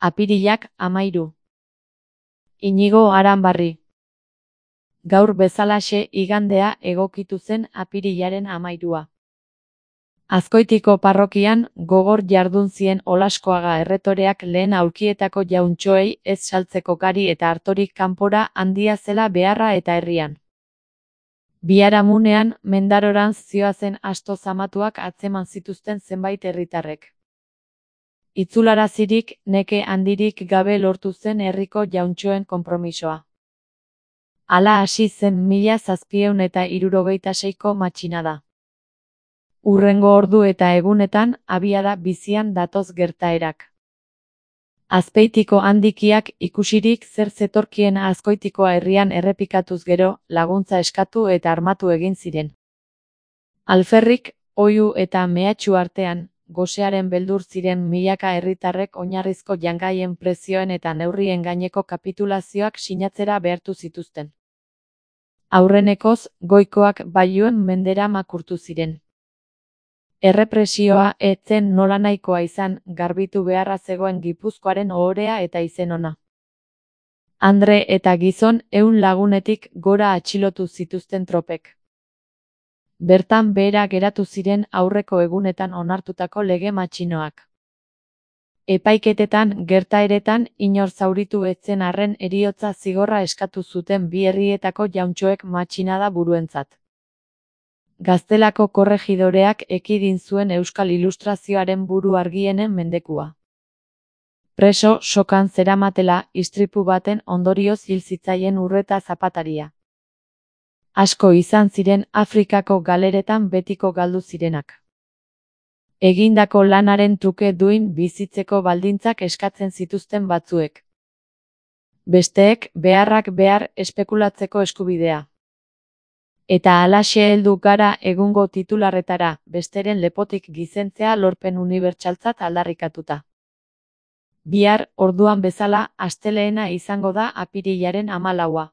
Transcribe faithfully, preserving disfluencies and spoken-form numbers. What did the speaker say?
Apirilak amairu. Inigo Aranbarri. Gaur bezalaxe igandea egokitu zen apirilaren amairua. Azkoitiko parrokian gogor jardun zien Olaskoaga erretoreak lehen aulkietako jauntxoei ez saltzeko gari eta artorik kanpora handia zela beharra eta herrian. Biharamunean Mendarorantz zihoazen asto zamatuak atzeman zituzten zenbait herritarrek. Itzularazirik neke handirik gabe lortu zen herriko jauntxoen konpromisoa. Hala hasi zen mila zazpiehun eta hirurogeita seiko matxinada. Hurrengo ordu eta egunetan abiada bizian datoz gertaerak. Azpeitiko handikiak ikusirik zer zetorkien Azkoitikoa herrian errepikatuz gero, laguntza eskatu eta armatu egin ziren. Alferrik, oihu eta mehatxu artean, gosearen beldur ziren milaka herritarrek oinarrizko jangaien prezioen eta neurrien gaineko kapitulazioak sinatzera behartu zituzten. Aurrenekoz, goikoak bailuen mendera makurtu ziren. Errepresioa ez zen nolanahikoa izan, garbitu beharra zegoen Gipuzkoaren ohorea eta izen ona. Andre eta gizon ehun lagunetik gora atxilotu zituzten tropek. Bertan behera geratu ziren aurreko egunetan onartutako lege matxinoak. Epaiketetan gertaeretan inor zauritu ez zen arren heriotza zigorra eskatu zuten bi herrietako jauntxoek matxinada buruentzat. Gaztelako korregidoreak ekidin zuen Euskal Ilustrazioaren buru argienen mendekua. Preso sokan zeramatela istripu baten ondorioz hil zitzaien Urreta Zapataria. Asko izan ziren Afrikako galeretan betiko galdu zirenak. Egindako lanaren truke duin bizitzeko baldintzak eskatzen zituzten batzuek. Besteek beharrak behar espekulatzeko eskubidea. Eta halaxe heldu gara egungo titularretara, besteren lepotik gizentzea lorpen unibertsaltzat aldarrikatuta. Bihar, orduan bezala, astelehena izango da apirilaren hamalaua.